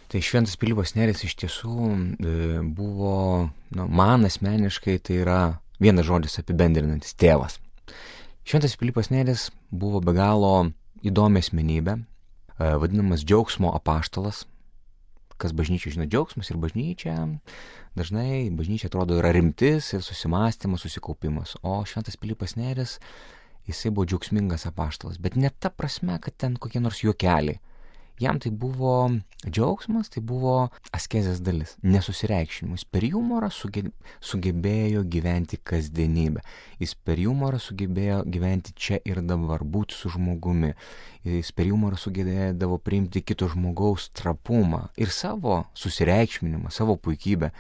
Tai Šventas Pilypas Nėris iš tiesų buvo, man asmeniškai tai yra vienas žodis apibendrinantis - tėvas. Šventas Pilypas Nėris buvo be galo įdomi asmenybė, vadinamas džiaugsmo apaštalas. Kas bažnyčia žino, džiaugsmas ir bažnyčia, dažnai bažnyčia atrodo yra rimtis ir susimąstymas, susikaupimas, o Šventas Pilypas Nėris, jisai buvo džiaugsmingas apaštalas, bet ne ta prasme, kad ten kokie nors juokeliai. Jam tai buvo džiaugsmas, tai buvo askezės dalis, nesusireikšinimas. Per humorą sugebėjo gyventi kasdienybę. Jis per humorą sugebėjo gyventi čia ir dabar, būti su žmogumi. Jis per humorą sugebėdavo priimti kito žmogaus trapumą ir savo susireikšminimą, savo puikybę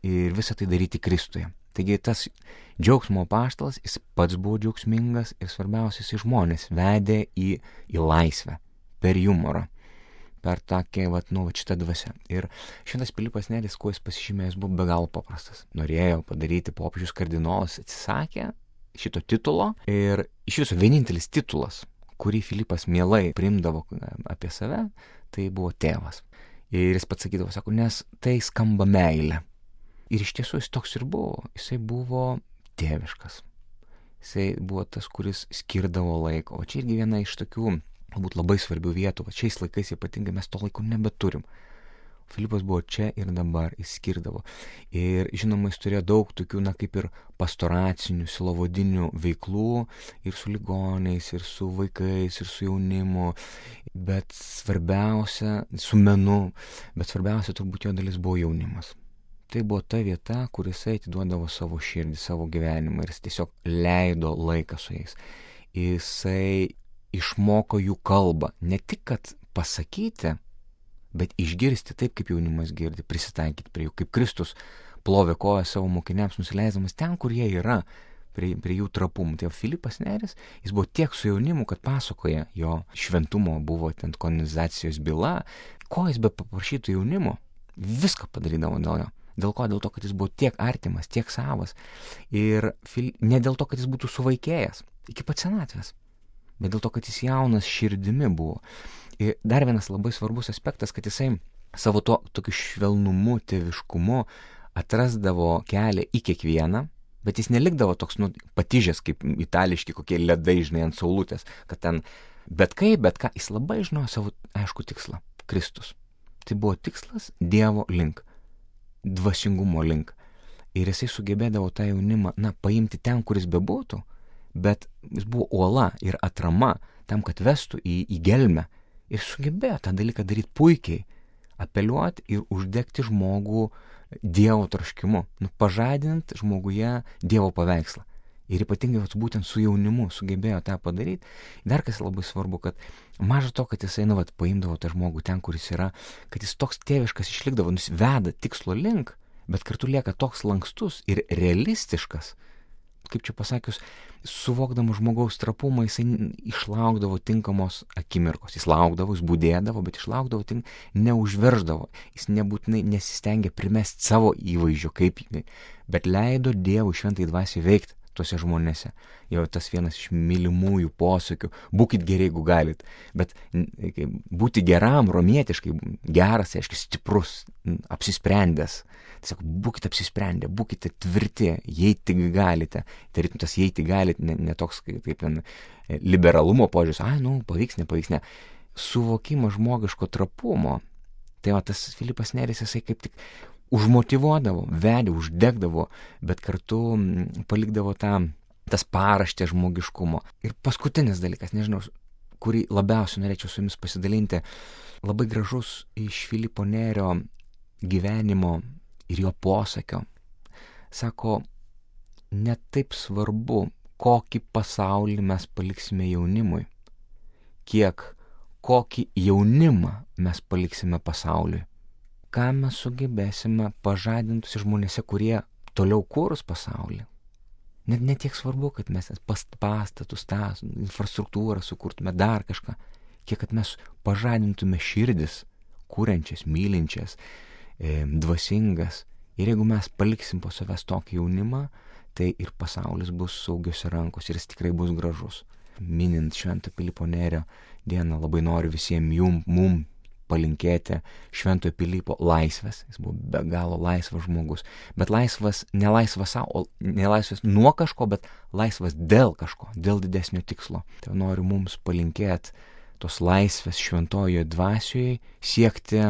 ir visą tai daryti Kristuje. Taigi tas džiaugsmo apaštalas, jis pats buvo džiaugsmingas ir svarbiausias į žmonės vedė į laisvę per humorą. Per tokį, šitą dvasę. Ir Šventas Pilypas Nėris, kuo jis pasižymėjęs, buvo be galo paprastas. Norėjo padaryti popiežius kardinolas, atsisakė šito titulo ir iš viso vienintelis titulas, kurį Filipas mielai priimdavo apie save, tai buvo tėvas. Ir jis pats sakydavo, sako, nes tai skamba meilė. Ir iš tiesų jis toks ir buvo. Jisai buvo tėviškas. Jisai buvo tas, kuris skirdavo laiko. O čia irgi viena iš tokių galbūt labai svarbių vietų, šiais laikais ypatingai mes to laiko nebeturim. Filipas buvo čia ir dabar, jis skirdavo. Ir žinoma, jis turėjo daug tokių, kaip ir pastoracinių, silovodinių veiklų ir su ligoniais, ir su vaikais, ir su jaunimu, bet svarbiausia, su menu, bet svarbiausia turbūt jo dalis buvo jaunimas. Tai buvo ta vieta, kur jisai atiduodavo savo širdį, savo gyvenimą ir jis tiesiog leido laiką su jais. Jisai išmoko jų kalbą, ne tik kad pasakyti, bet išgirsti taip, kaip jaunimas girdi, prisitaikyti prie jų, kaip Kristus plovė koją savo mokiniams, nusileisdamas ten, kur jie yra, prie jų trapumų. Tai Filipas Nėris, jis buvo tiek su jaunimu, kad pasakoja jo šventumo, buvo ten kanonizacijos byla, ko jis be paprašytų jaunimo, viską padarydavo dėl jo. Dėl ko? Dėl to, kad jis buvo tiek artimas, tiek savas. Ir ne dėl to, kad jis būtų suvaikėjęs iki pat senatvės, bet dėl to, kad jis jaunas širdimi buvo. Ir dar vienas labai svarbus aspektas, kad jisai savo tokiu švelnumu, tėviškumu atrasdavo kelią į kiekvieną, bet jis nelikdavo toks patižęs, kaip itališki kokie ledai, žinai, ant saulutės, kad ten bet ką, jis labai žinojo savo aišku tikslą - Kristus. Tai buvo tikslas Dievo link, dvasingumo link. Ir jisai sugebėdavo tą jaunimą, paimti ten, kuris bebūtų, bet jis buvo uola ir atrama tam, kad vestų į gelmę ir sugebėjo tą dalyką daryti puikiai, apeliuoti ir uždegti žmogų Dievo troškimu, pažadinti žmoguje Dievo paveikslą. Ir ypatingai būtent su jaunimu sugebėjo tą padaryti. Dar kas labai svarbu, kad maža to, kad jisai paimdavo tą žmogų ten, kuris yra, kad jis toks tėviškas išlikdavo, veda tikslo link, bet kartu lieka toks lankstus ir realistiškas, kaip čia pasakius, suvokdamas žmogaus trapumą, jisai išlaukdavo tinkamos akimirkos. Jis laukdavo, jis būdėdavo, bet išlaukdavo, neužverždavo. Jis nebūtinai nesistengė primesti savo įvaizdžio, bet leido Dievui šventai dvasiai veikti tuose žmonėse. Jau tas vienas iš mylimųjų posakių - būkit geri, jeigu galit. Bet būti geram, romietiškai, geras, reiškia stiprus, apsisprendęs. Tiesiog būkite apsisprendę, būkite tvirti, jei tik galite. Tarytum tas jei tik galite, ne toks kaip ten liberalumo požiūris, pavyks, nepavyks, ne. Suvokimo žmogiško trapumo. Tai tas Filipas Nėris, jisai kaip tik užmotyvuodavo, vedė, uždegdavo, bet kartu palikdavo tas paraštę žmogiškumo. Ir paskutinis dalykas, nežinau, kurį labiausiai norėčiau su jumis pasidalinti, labai gražus iš Filipo Nėrio gyvenimo ir jo posakio. Sako, ne taip svarbu, kokį pasaulį mes paliksime jaunimui, kiek kokį jaunimą mes paliksime pasauliui. Ką mes sugebėsime pažadinti žmonėse, kurie toliau kurs pasaulį. Net tiek svarbu, kad mes pastatus, tą infrastruktūrą sukurtume, dar kažką, kiek kad mes pažadintume širdis, kuriančias, mylinčias, dvasingas. Ir jeigu mes paliksim po savęs tokį jaunimą, tai ir pasaulis bus saugiose rankose ir jis tikrai bus gražus. Minint Švento Pilypo Nėrio dieną, labai noriu visiems mum palinkėti Šventojo Pilypo laisvės. Jis buvo be galo laisvas žmogus. Bet laisvas, ne laisvas savo, ne laisvas nuo kažko, bet laisvas dėl kažko, dėl didesnio tikslo. Tai noriu mums palinkėti tos laisvės šventojoje dvasioje, siekti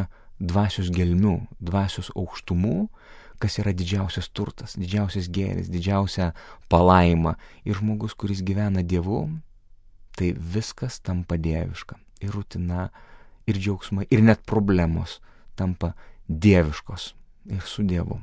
dvasios gelmių, dvasios aukštumų, kas yra didžiausias turtas, didžiausias gėris, didžiausia palaima. Ir žmogus, kuris gyvena Dievu, tai viskas tampa dieviška. Ir rutina, ir džiaugsmai, ir net problemos tampa dieviškos ir su Dievu.